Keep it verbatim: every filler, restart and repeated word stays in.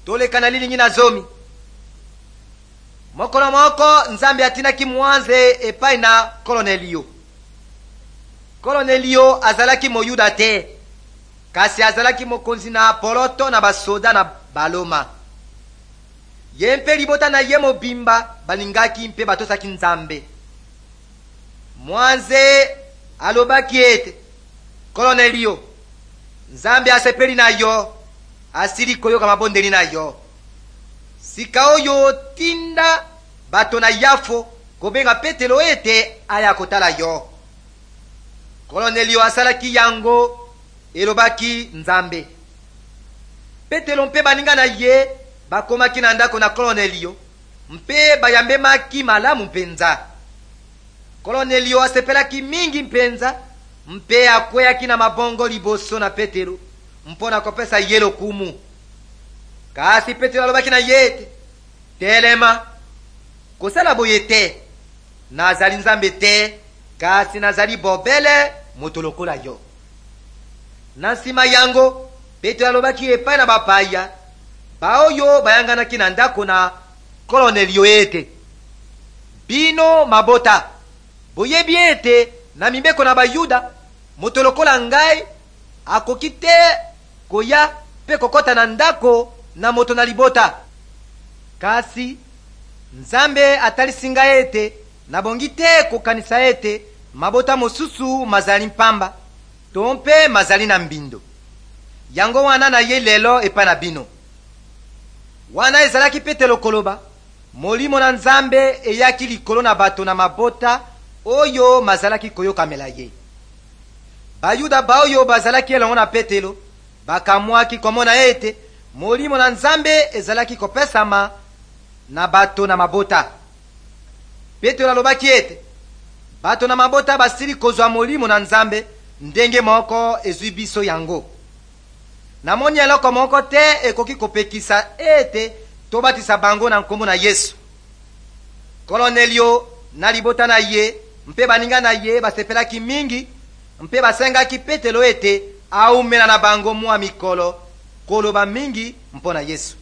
Toleka na lilingi na zomi. Mokolo moko Nzambe atindaki mwanze epai na Kolonelio. Kolonelio azalaki Moyuda te, kasi azalaki mokonzi na poloto na basoda na Baloma. Ye mpe libota na ye mobimba balingaki mpe batosaki Nzambe. Mwanze alobaki ete: Kolonelio, Nzambe asepeli na yo, asili koyoka mabondeli na yo. Sika oyo tinda bato na Yafo kobenga Petelo ete aya kotala yo. Kolonelio asalaki yango elobaki Nzambe. Petelo mpe baninga na ye bakomaki na ndako na Kolonelio mpe bayambemaki malamu mpenza. Kolonelio asepelaki mingi mpenza mpe akweyaki na mabongo liboso na Petelo mpo na kopesa ye lokumu. Kasi Petelo alobaki na ye ete: Telema, kosala boye te, nazali Nzambe te, kasi nazali bobele moto lokola yo. Na nsima yango Petelo alobaki epai na bapaya baoyo bayanganaki na ndako na Kolonelio ete: Bino mabota, boyebi ete na mibeko na Bayuda moto lokola ngai akoki te koya mpe kokɔta na ndako na moto na libota. Kasi Nzambe atalisi ngai ete nabongi te kokanisa ete mabota mosusu mazali mpamba to mpe mazali na mbindo. Yango wana na ye lelo epai na bino. Wana ezalaki Petelo koloba, molimo na Nzambe eyaki likolo na bato na mabota oyo mazalaki koyokamela ye. Bayuda baoyo bazalaki elongo na Petelo bakamwaki komona ete molimo na Nzambe ezalaki kopesama na bato na mabota. Petelo alobaki ete bato na mabota basili kozwa molimo na Nzambe ndenge moko ezwi biso yango. Namoni eloko moko te ekoki kopekisa ete tobatisa bango na nkombo na Yesu. Kolonelio na libota na ye mpe baninga na ye basepelaki mingi mpe basengaki Petelo ete aumela na bango mwa mikolo koloba mingi mpo na Yesu.